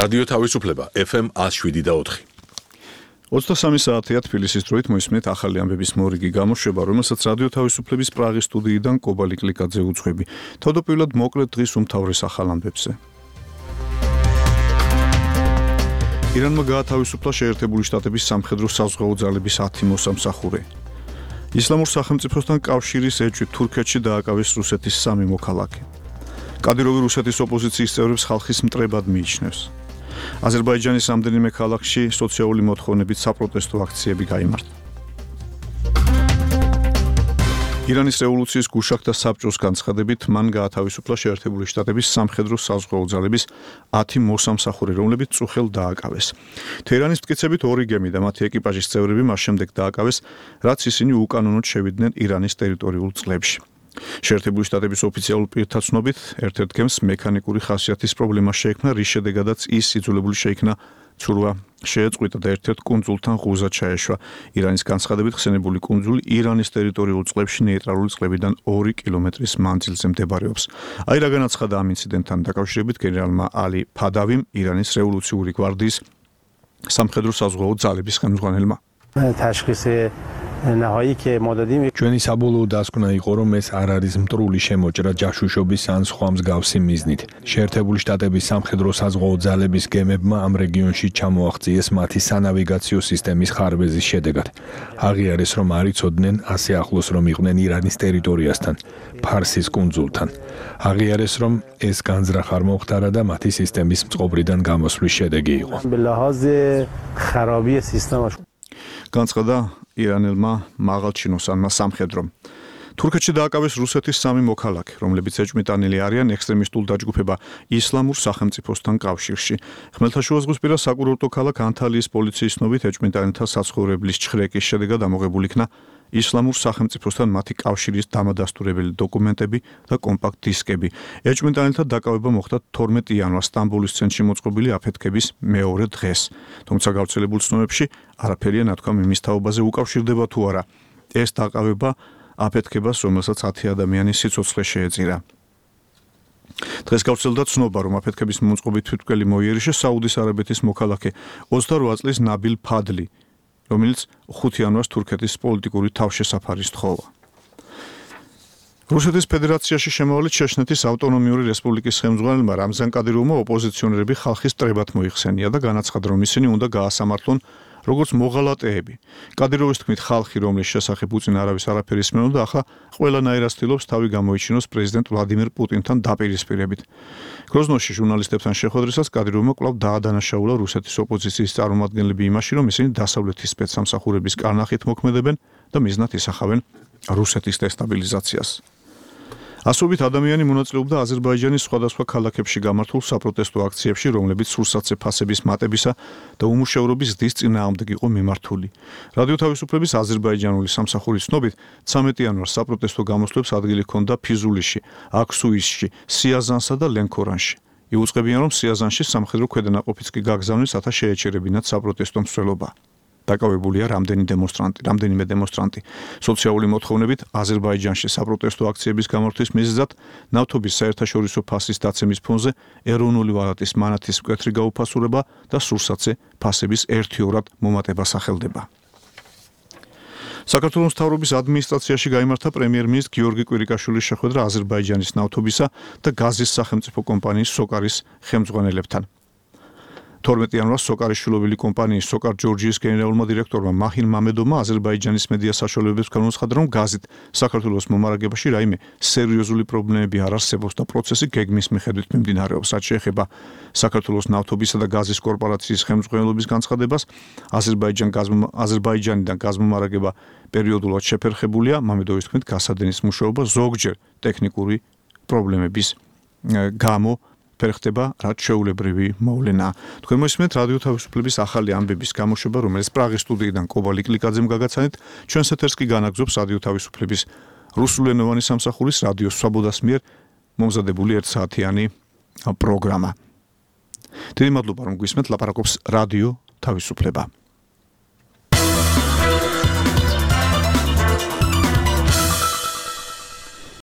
რადიო თავისუფლება FM 107.4. 23 საათია თბილისის დროით მოისმენთ ახალი ამბების მორიგი გამოშვება, რომელსაც რადიო თავისუფლების პრაღის სტუდიიდან კობალი კლიკაძე უძღვები. თავდაპირველად მოკლედ დღის უმთავრეს ახალ ამბებზე. ირანმა გაათავისუფლა შეერთებული შტატების სამხედრო საზღვაო ძალების 10 მოსამსახურე. ისლამურ სახელმწიფოსთან კავშირის ეჭვით თურქეთში დააკავეს რუსეთის 3 მოქალაქე. კადიროვი რუსეთის ოპოზიციის წევრებს ხალხის მტრებად მიიჩნევს. აზერბაიჯანის რამდენიმე ქალაქში სოციალური მოთხოვნებით საპროტესტო აქციები გაიმართა. ირანის რევოლუციის გუშაგთა საბჭოს განცხადებით მან გაათავისუფლა შეერთებული შტატების სამხედრო საზღვაო ძალების 10 მოსამსახურე, რომლებიც წუხელ დააკავეს. თეირანის მტკიცებით 2 გემი და მათი ეკიპაჟის წევრები მას შემდეგ დააკავეს, რაც ისინი უკანონოდ შევიდნენ ირანის ტერიტორიულ წყლებში. შეერთებული შტატების ოფიციალურ პირთა ცნობით, ერთ-ერთ გემს მექანიკური ხასიათის პრობლემა შეექმნა, რის შედეგადაც ის იძულებული შეიქნა ცურვა შეეწყვიტა და ერთ-ერთ კუნძულთან ღუზა ჩაეშვა. ირანის განცხადებით ხსენებული კუნძული ირანის ტერიტორიულ წყლებში ნეიტრალური წყლებიდან 2 კილომეტრის მანძილზე მდებარეობს. აი რა განაცხადა ამ ინციდენტთან დაკავშირებით გენერალმა ალი ფადავიმ, ირანის რევოლუციური გვარდიის სამხედრო საზღვაო ძალების ხელმძღვანელმა. ჩვენი საბოლოო დასკვნა იყო, რომ ეს არ არის მტრული შემოჭრა ჯაშუშობის ან სხვა მსგავსი მიზნით. შეერთებული შტატების სამხედრო საზღვაო ძალების გემებმა ამ რეგიონში ჩამოაღწიეს მათი სანავიგაციო სისტემის ხარბეზის შედეგად. აღიარეს, რომ არ იცოდნენ ასე ახლოს რომ იყვნენ ირანის ტერიტორიასთან, ფარსის კუნძულთან. აღიარეს, რომ ეს განზრახ არ მომხდარა და მათი სისტემის მწყობრიდან გამოსვლის შედეგი იყო. განცხადა ირანელმა მაღალჩინოსანმა სამხედრომ. თურქეთში დააკავეს რუსეთის 3 მოქალაქე, რომლებიც ეჭვმიტანილი არიან ექსტრემისტულ დაჯგუფება ისლამურ სახელმწიფოსთან კავშირში. ხმელთაშუაზღვისპირა საკურორტო ქალაქ ანთალიის პოლიციის ცნობით ეჭვმიტანილთა საცხოვრებლის ჩხრეკის შედეგად ამოღებული იქნა ისლამურ სახელმწიფოსთან მათი კავშირის დამადასტურებელი დოკუმენტები და კომპაქტ დისკები. ეჭვმიტანილთა დაკავება მოხდა 12 იანვარს სტამბოლის ცენტრში მოწყობილი აფეთქების მეორე დღეს. თუმცა გავრცელებულ ცნობებში არაფერია ნათქვამი იმის თაობაზე უკავშირდება თუ არა ეს დაკავება აფეთქებას, რომელსაც 10 ადამიანის სიცოცხლე შეეწირა. დღეს გავრცელდა ცნობა, რომ აფეთქების მოწყობით თვითმკვლელი მოიერიშე საუდის არაბეთის მოქალაქე 28 წლის ნაბილ ფადლი, რომელიც 5 იანვარს თურქეთის პოლიტიკური თავშესაფარი სთხოვა. რუსეთის ფედერაციაში შემოვალით ჩეჩნეთის ავტონომიური რესპუბლიკის ხელმძღვანელმა რამზან კადიროვმა ოპოზიციონერები ხალხის მტრებად მოიხსენია და განაცხადა, რომ ისინი უნდა გაასამართლონ როგორც მოღალატეები. კადიროვის თქმით, ხალხი, რომლის შესახებ უწინ არავის არაფერი ისმენოდა, ახლა ყველანაირად ცდილობს თავი გამოიჩინოს პრეზიდენტ ვლადიმირ პუტინთან დაპირისპირებით. გროზნოში ჟურნალისტებთან შეხვედრისას კადიროვმა კვლავ დაადანაშაულა რუსეთის ოპოზიციის წარმომადგენლები იმაში, რომ ისინი დასავლეთის სპეცსამსახურების კარნახით მოქმედებენ და მიზნად ისახავენ რუსეთის დესტაბილიზაციას. ასობით ადამიანი მონაწილეობდა აზერბაიჯანის სხვადასხვა ქალაქებში გამართულ საპროტესტო აქციებში, რომლებიც სურსათზე ფასების მატებისა და უმუშევრობის ზრდის წინააღმდეგ იყო მიმართული. რადიო თავისუფლების აზერბაიჯანული სამსახურის ცნობით 13 იანვარს საპროტესტო გამოსვლებს ადგილი ჰქონდა ფიზულიში, აქსუისში, სიაზანსა და ლენქორანში. იუწყებიან, რომ სიაზანში სამხედრო ქვედანაყოფიც კი გაგზავნეს, რათა შეეჩერებინათ საპროტესტო მსვლელობა. დაკავებულია რამდენიმე დემონსტრანტი. სოციალური მოთხოვნებით აზერბაიჯანში საპროტესტო აქციების გამართვის მიზეზად ნავთობის საერთაშორისო ფასის დაცემის ფონზე ეროვნული ვალუტის მანათის მკვეთრი გაუფასურება და სურსათზე ფასების ერთიორად მომატება სახელდება. საქართველოს მთავრობის ადმინისტრაციაში გაიმართა პრემიერ-მინისტრ გიორგი კვირიკაშვილის შეხვედრა აზერბაიჯანის ნავთობისა და გაზის სახელმწიფო კომპანიის სოკარის ხელმძღვანელებთან. 12 იანვარს სოკარის შვილობილი კომპანიის სოკარ ჯორჯიის გენერალურმა დირექტორმა მაჰინ მამედოვმა აზერბაიჯანის მედია საშუალებებს განუცხადა, რომ გაზით საქართველოს მომარაგებაში რაიმე სერიოზული პრობლემები არ არსებობს და პროცესი გეგმის მიხედვით მიმდინარეობს. რაც შეეხება საქართველოს ნავთობისა და გაზის კორპორაციის ხელმძღვანელობის განცხადებას, აზერბაიჯანიდან გაზმომარაგება პერიოდულად შეფერხებულია. მამედოვის თქმით, გასადენის მუშაობა ზოგჯერ ტექნიკური პრობლემების გამო ფერხდება, რაც შეუულებრივი მოვლენაა. თქვენ მოისმენთ რადიო თავისუფლების ახალი ამბების გამოშვება, რომელიც პრაღის სტუდიიდან კობალი კლიკაძემ გაგაცანეთ. ჩვენს ეთერს კი განაგზობს რადიო თავისუფლების რუსულენოვანი სამსახურის რადიო სვაბოდას მიერ მომზადებული 1 საათიანი პროგრამა. დიდი მადლობა, რომ გვისმენთ, ლაპარაკობს რადიო თავისუფლება.